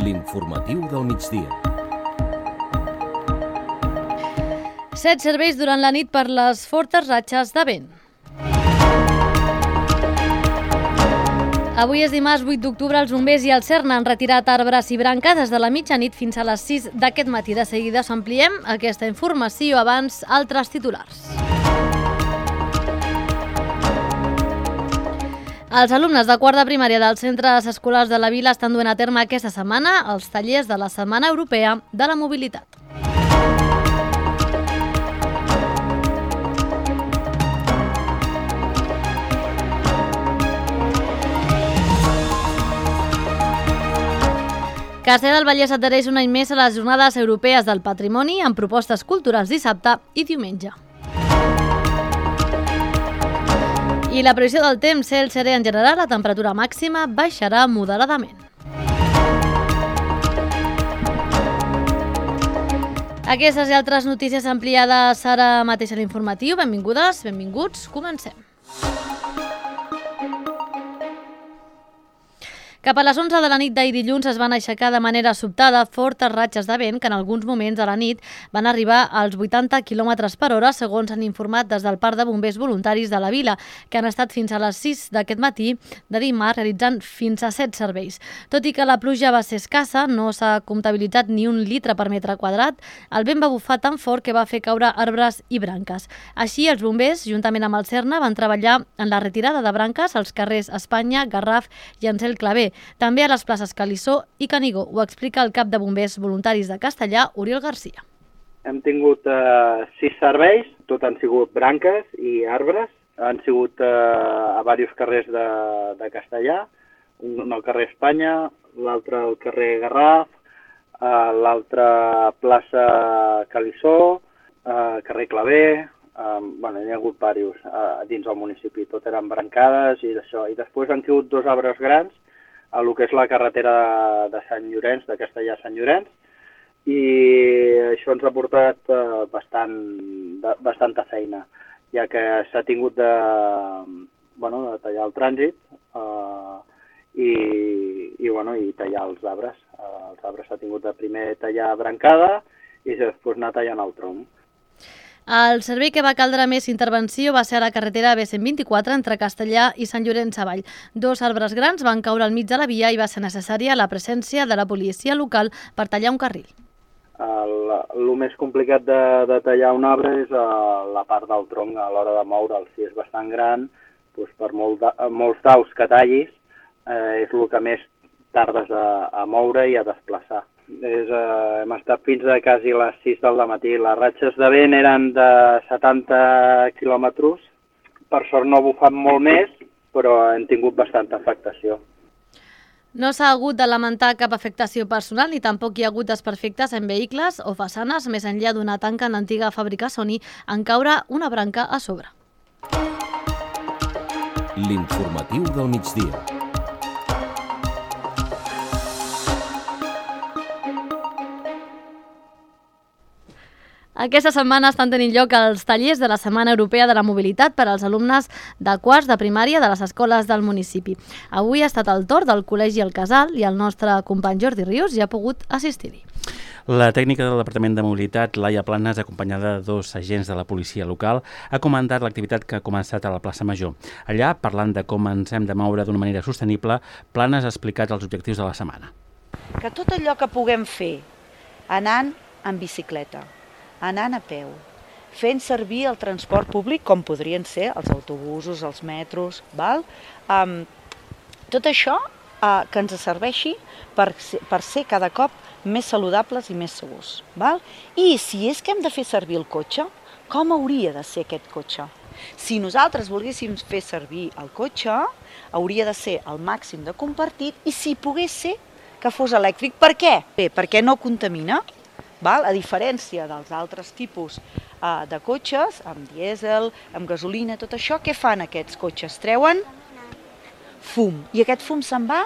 L'informatiu del migdia. 7 serveis durant la nit per les fortes ratxes de vent. Avui és dimarts 8 d'octubre, els bombers i el CERN han retirat arbres i branques des de la mitjanit fins a les 6 d'aquest matí. De seguida s'ampliem aquesta informació, abans altres titulars. Els alumnes de quart de primària dels centres escolars de la vila estan duent a terme aquesta setmana els tallers de la Setmana Europea de la Mobilitat. Castellar del Vallès adhereix un any més a les Jornades Europees del Patrimoni amb propostes culturals dissabte i diumenge. I la previsió del temps, cel serè en general, la temperatura màxima baixarà moderadament. Aquestes i altres notícies ampliades ara mateix a l'informatiu. Benvingudes, benvinguts, comencem. Cap a les 11 de la nit d'ahir dilluns es van aixecar de manera sobtada fortes ratxes de vent que en alguns moments de la nit van arribar als 80 km per hora, segons han informat des del Parc de Bombers Voluntaris de la vila, que han estat fins a les 6 d'aquest matí de dimarts realitzant fins a 7 serveis. Tot i que la pluja va ser escassa, no s'ha comptabilitzat ni un litre per metre quadrat, el vent va bufar tan fort que va fer caure arbres i branques. Així, els bombers, juntament amb el CERN, van treballar en la retirada de branques als carrers Espanya, Garraf i Ansel Clavé, també a les places Calissó i Canigó. Ho explica el cap de bombers voluntaris de Castellar, Oriol Garcia. Hem tingut 6 serveis, tot han sigut branques i arbres. Han sigut a diversos carrers de Castellar, un al carrer Espanya, l'altre al carrer Garraf, l'altre plaça Calissó, carrer Clavé. Hi ha hagut diversos dins del municipi, tot eren brancades i d'això. I després han sigut 2 arbres grans a lo que és la carretera de Sant Llorenç, de Castellar a Sant Llorenç, i això ens ha portat bastanta feina, ja que s'ha tingut de tallar el trànsit i tallar els arbres. Els arbres s'ha tingut de primer tallar brancada i després anar tallant el tronc. El servei que va caldre més intervenció va ser a la carretera B124 entre Castellar i Sant Llorenç Savall. 2 arbres grans van caure al mig de la via i va ser necessària la presència de la policia local per tallar un carril. El més complicat de tallar un arbre és la part del tronc a l'hora de moure'l. Si és bastant gran, per molts daus que tallis, és el que més tardes a moure i a desplaçar. Hem estat fins a quasi les 6 del matí. Les ratxes de vent eren de 70 quilòmetres. Per sort no ha bufat molt més, però hem tingut bastanta afectació. No s'ha hagut de lamentar cap afectació personal ni tampoc hi ha hagut desperfectes en vehicles o façanes, més enllà d'una tanca en l'antiga fàbrica Sony en caure una branca a sobre. L'informatiu del migdia. Aquesta setmana estan tenint lloc els tallers de la Setmana Europea de la Mobilitat per als alumnes de quarts de primària de les escoles del municipi. Avui ha estat el torn del Col·legi El Casal i el nostre company Jordi Rius ja ha pogut assistir-hi. La tècnica del Departament de Mobilitat, Laia Planes, acompanyada de 2 agents de la policia local, ha comentat l'activitat que ha començat a la plaça Major. Allà, parlant de com ens hem de moure d'una manera sostenible, Planes ha explicat els objectius de la setmana. Que tot allò que puguem fer anant en bicicleta, anant a peu, fent servir el transport públic com podrien ser els autobusos, els metros, val? Tot això que ens serveixi per ser cada cop més saludables i més segurs. Val? I si és que hem de fer servir el cotxe, com hauria de ser aquest cotxe? Si nosaltres volguéssim fer servir el cotxe, hauria de ser al màxim de compartit i si pogués ser que fos elèctric. Per què? Bé, perquè no contamina. Val? A diferència dels altres tipus de cotxes, amb dièsel, amb gasolina, tot això, què fan aquests cotxes? Treuen fum. I aquest fum se'n va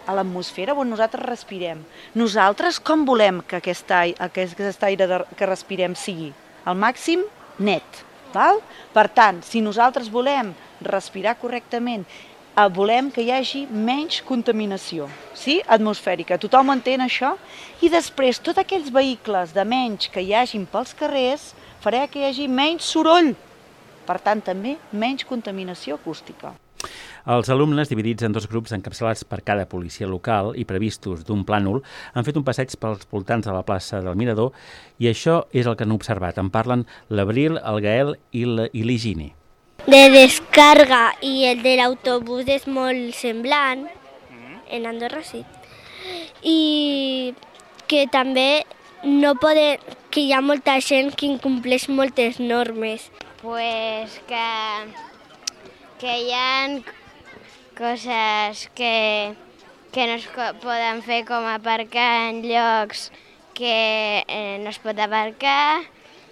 a l'atmosfera on nosaltres respirem. Nosaltres com volem que aquest aire que respirem sigui? Al màxim net. Val? Per tant, si nosaltres volem respirar correctament volem que hi hagi menys contaminació, sí? Atmosfèrica. Tothom entén això? I després, tots aquells vehicles de menys que hi hagin pels carrers farà que hi hagi menys soroll. Per tant, també menys contaminació acústica. Els alumnes, dividits en 2 grups encapçalats per cada policia local i previstos d'un plànol, han fet un passeig pels voltants de la plaça del Mirador i això és el que han observat. En parlen l'Abril, el Gael i l'Higini. De descarga i el de l'autobús és molt semblant, en Andorra sí. I que també que hi ha molta gent que incompleix moltes normes. Pues que hi ha coses que no es poden fer, com aparcar en llocs que no es pot aparcar,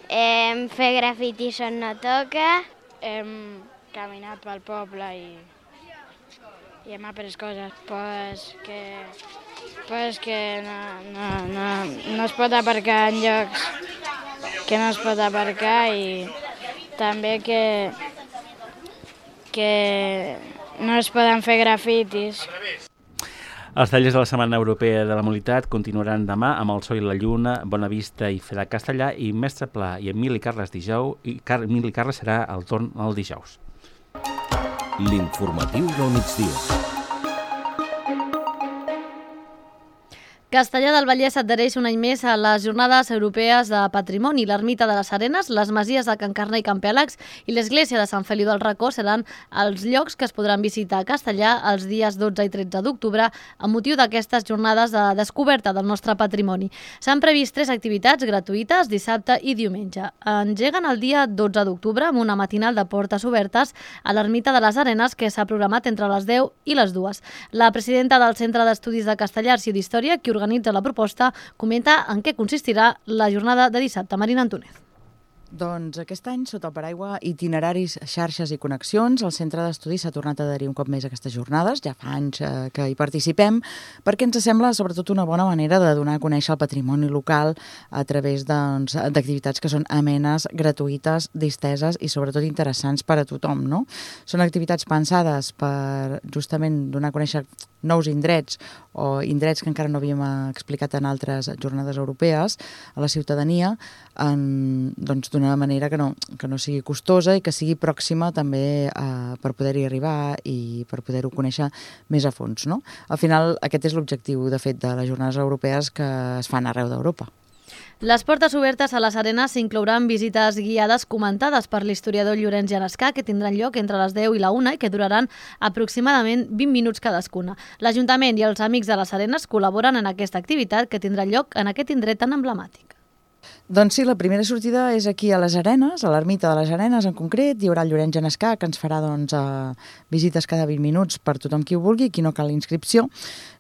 fer grafitis on no toca. Hem caminat pel poble i hem après coses, que no es pot aparcar en llocs que no es pot aparcar i també que no es poden fer grafitis. Els tallers de la Setmana Europea de la Mobilitat continuaran demà amb el Sol i la Lluna, Bona Vista i Feda Castellà i Mestre Pla i Emili Carles dijous i Emili Carles serà el torn el dijous. L'informatiu del migdia. Castellar del Vallès adhereix un any més a les Jornades Europees de Patrimoni. L'Ermita de les Arenes, les Masies de Can Carner i Can Pèlags i l'Església de Sant Feliu del Racó seran els llocs que es podran visitar a Castellar els dies 12 i 13 d'octubre amb motiu d'aquestes jornades de descoberta del nostre patrimoni. S'han previst 3 activitats gratuïtes dissabte i diumenge. Engeguen el dia 12 d'octubre amb una matinal de portes obertes a l'Ermita de les Arenes que s'ha programat entre les 10 i les 2. La presidenta del Centre d'Estudis de Castellar i d'Història, que organitza la proposta, comenta en què consistirà la jornada de dissabte. Marina Antúnez. Doncs aquest any, sota el paraigua Itineraris, xarxes i connexions, el Centre d'Estudis s'ha tornat a adherir un cop més a aquestes jornades, ja fa anys que hi participem, perquè ens sembla sobretot una bona manera de donar a conèixer el patrimoni local a través d'activitats que són amenes, gratuïtes, disteses i sobretot interessants per a tothom, no? Són activitats pensades per justament donar a conèixer nous indrets o indrets que encara no havíem explicat en altres jornades europees a la ciutadania, d'una manera que no sigui costosa i que sigui pròxima també per poder-hi arribar i per poder-ho conèixer més a fons, no? Al final, aquest és l'objectiu, de fet, de les jornades europees que es fan arreu d'Europa. Les portes obertes a les arenes inclouran visites guiades comentades per l'historiador Llorenç Genescà, que tindran lloc entre les 10 i la 1 i que duraran aproximadament 20 minuts cadascuna. L'Ajuntament i els Amics de les Arenes col·laboren en aquesta activitat que tindrà lloc en aquest indret tan emblemàtic. Doncs sí, la primera sortida és aquí a les Arenes, a l'Ermita de les Arenes en concret. Hi haurà el Llorenç Genescà, que ens farà visites cada 20 minuts per tothom qui ho vulgui, qui no cal inscripció.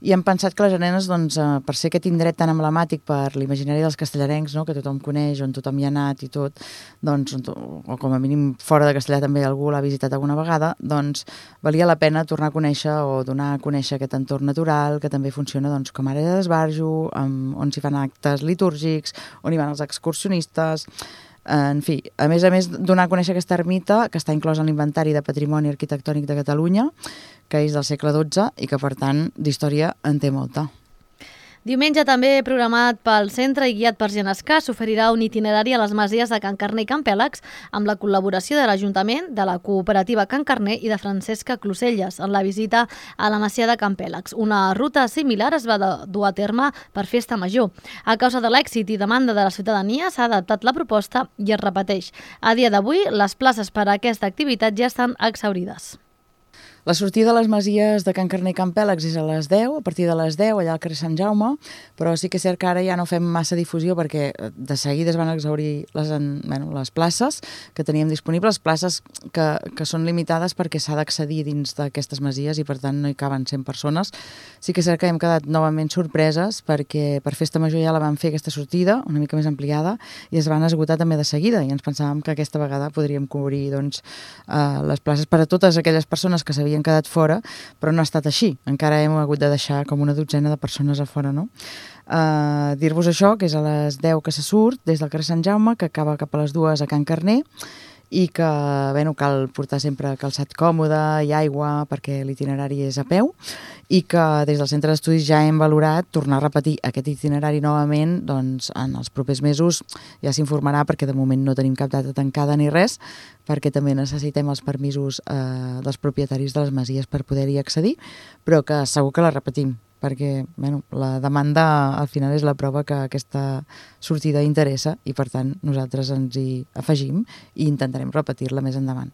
I hem pensat que les Arenes, per ser aquest indret tan emblemàtic per l'imaginari dels castellarencs, no?, que tothom coneix, on tothom hi ha anat i tot, o com a mínim fora de Castellar també algú l'ha visitat alguna vegada, doncs valia la pena tornar a conèixer o donar a conèixer aquest entorn natural que també funciona com a àrea d'esbarjo, on s'hi fan actes litúrgics, on hi van els excursionistes. En fi, a més, donar a conèixer aquesta ermita, que està inclosa en l'Inventari de Patrimoni Arquitectònic de Catalunya, que és del segle XII i que, per tant, d'història en té molta. Diumenge, també programat pel centre i guiat per Genescà, s'oferirà un itinerari a les Masies de Can Carner i Can Pèlags amb la col·laboració de l'Ajuntament, de la cooperativa Can Carner i de Francesca Closelles en la visita a la Masia de Can Pèlags. Una ruta similar es va dur a terme per Festa Major. A causa de l'èxit i demanda de la ciutadania s'ha adaptat la proposta i es repeteix. A dia d'avui, les places per a aquesta activitat ja estan exhaurides. La sortida de les Masies de Can Carner i Can Pèlags és a les 10, a partir de les 10, allà al carrer Sant Jaume, però sí que és cert que ara ja no fem massa difusió perquè de seguida es van exhaurir les places que teníem disponibles, places que són limitades perquè s'ha d'accedir dins d'aquestes Masies i per tant no hi caben 100 persones. Sí que és cert que hem quedat novament sorpreses perquè per Festa Major ja la vam fer aquesta sortida, una mica més ampliada, i es van esgotar també de seguida i ens pensàvem que aquesta vegada podríem cobrir les places per a totes aquelles persones que s'havien quedat fora, però no ha estat així. Encara hem hagut de deixar com una dotzena de persones a fora, no? Dir-vos això, que és a les 10 que se surt des del carrer Sant Jaume, que acaba cap a les 2 a Can Carner, i que cal portar sempre calçat còmode i aigua perquè l'itinerari és a peu, i que des del centre d'estudis ja hem valorat tornar a repetir aquest itinerari novament, doncs en els propers mesos ja s'informarà, perquè de moment no tenim cap data tancada ni res, perquè també necessitem els permisos dels propietaris de les masies per poder-hi accedir, però que segur que la repetim, perquè la demanda al final és la prova que aquesta sortida interessa i per tant nosaltres ens hi afegim i intentarem repetir-la més endavant.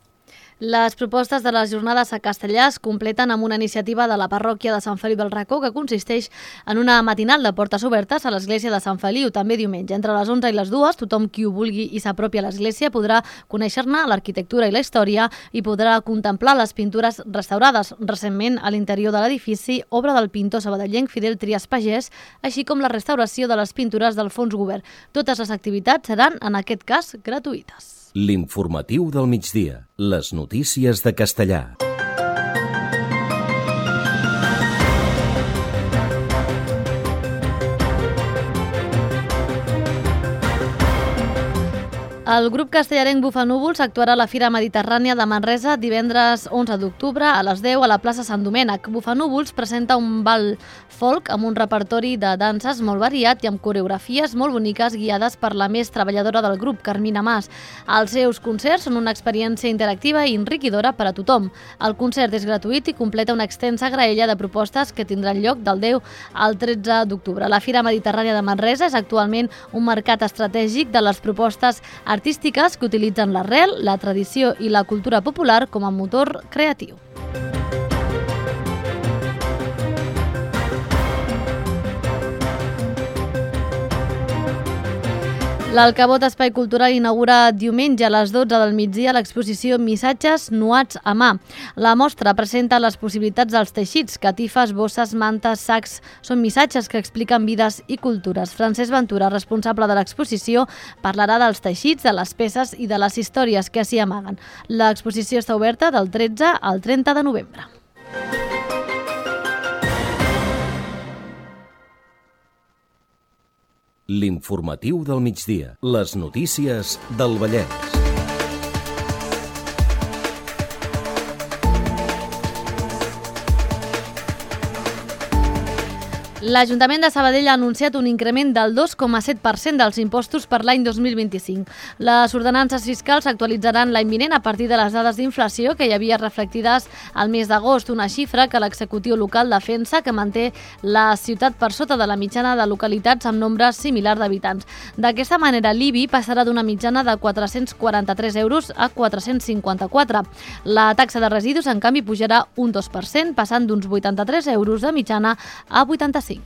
Les propostes de les jornades a Castellà es completen amb una iniciativa de la parròquia de Sant Feliu del Racó que consisteix en una matinal de portes obertes a l'església de Sant Feliu, també diumenge. Entre les 11 i les 2, tothom qui ho vulgui i s'apropi a l'església podrà conèixer-ne l'arquitectura i la història i podrà contemplar les pintures restaurades recentment a l'interior de l'edifici, obra del pintor sabadellenc Fidel Trias Pagès, així com la restauració de les pintures del fons govern. Totes les activitats seran, en aquest cas, gratuïtes. L'informatiu del migdia. Les notícies de Castellà. El grup castellarenc Bufanúvols actuarà a la Fira Mediterrània de Manresa divendres 11 d'octubre a les 10 a la plaça Sant Domènec. Bufanúvols presenta un ball folk amb un repertori de danses molt variat i amb coreografies molt boniques guiades per la més treballadora del grup, Carmina Mas. Els seus concerts són una experiència interactiva i enriquidora per a tothom. El concert és gratuït i completa una extensa graella de propostes que tindran lloc del 10 al 13 d'octubre. La Fira Mediterrània de Manresa és actualment un mercat estratègic de les propostes artístiques que utilitzen l'arrel, la tradició i la cultura popular com a motor creatiu. L'Alcabot Espai Cultural inaugura diumenge a les 12 del migdia l'exposició Missatges nuats a mà. La mostra presenta les possibilitats dels teixits, catifes, bosses, mantes, sacs. Són missatges que expliquen vides i cultures. Francesc Ventura, responsable de l'exposició, parlarà dels teixits, de les peces i de les històries que s'hi amaguen. L'exposició està oberta del 13 al 30 de novembre. L'informatiu del migdia. Les notícies del Vallès. L'Ajuntament de Sabadell ha anunciat un increment del 2,7% dels impostos per l'any 2025. Les ordenances fiscals s'actualitzaran l'any vinent a partir de les dades d'inflació que hi havia reflectides al mes d'agost, una xifra que l'executiu local defensa que manté la ciutat per sota de la mitjana de localitats amb nombre similar d'habitants. D'aquesta manera, l'IBI passarà d'una mitjana de 443 euros a 454. La taxa de residus, en canvi, pujarà un 2%, passant d'uns 83 euros de mitjana a 85.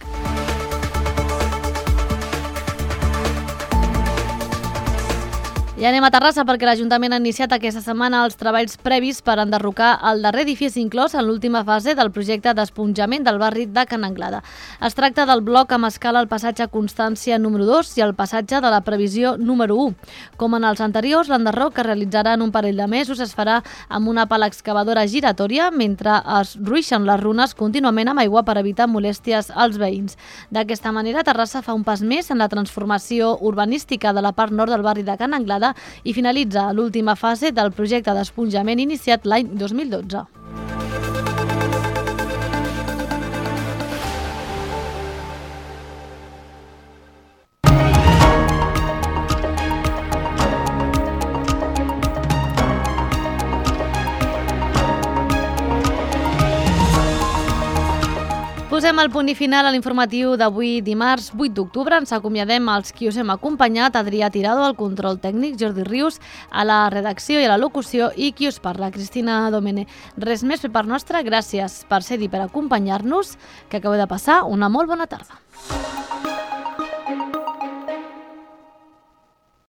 I anem a Terrassa perquè l'Ajuntament ha iniciat aquesta setmana els treballs previs per enderrocar el darrer edifici inclòs en l'última fase del projecte d'esponjament del barri de Can Anglada. Es tracta del bloc amb escala al passatge Constància número 2 i el passatge de la previsió número 1. Com en els anteriors, l'enderroc que realitzarà en un parell de mesos es farà amb una pala excavadora giratòria mentre es ruixen les runes contínuament amb aigua per evitar molèsties als veïns. D'aquesta manera, Terrassa fa un pas més en la transformació urbanística de la part nord del barri de Can Anglada i finalitza l'última fase del projecte d'esponjament iniciat l'any 2012. Posem el punt i final a l'informatiu d'avui dimarts 8 d'octubre. Ens acomiadem als qui us hem acompanyat, Adrià Tirado, al control tècnic, Jordi Rius, a la redacció i a la locució i qui us parla, Cristina Domene. Res més per part nostra, gràcies per ser-hi, per acompanyar-nos, que acabeu de passar una molt bona tarda.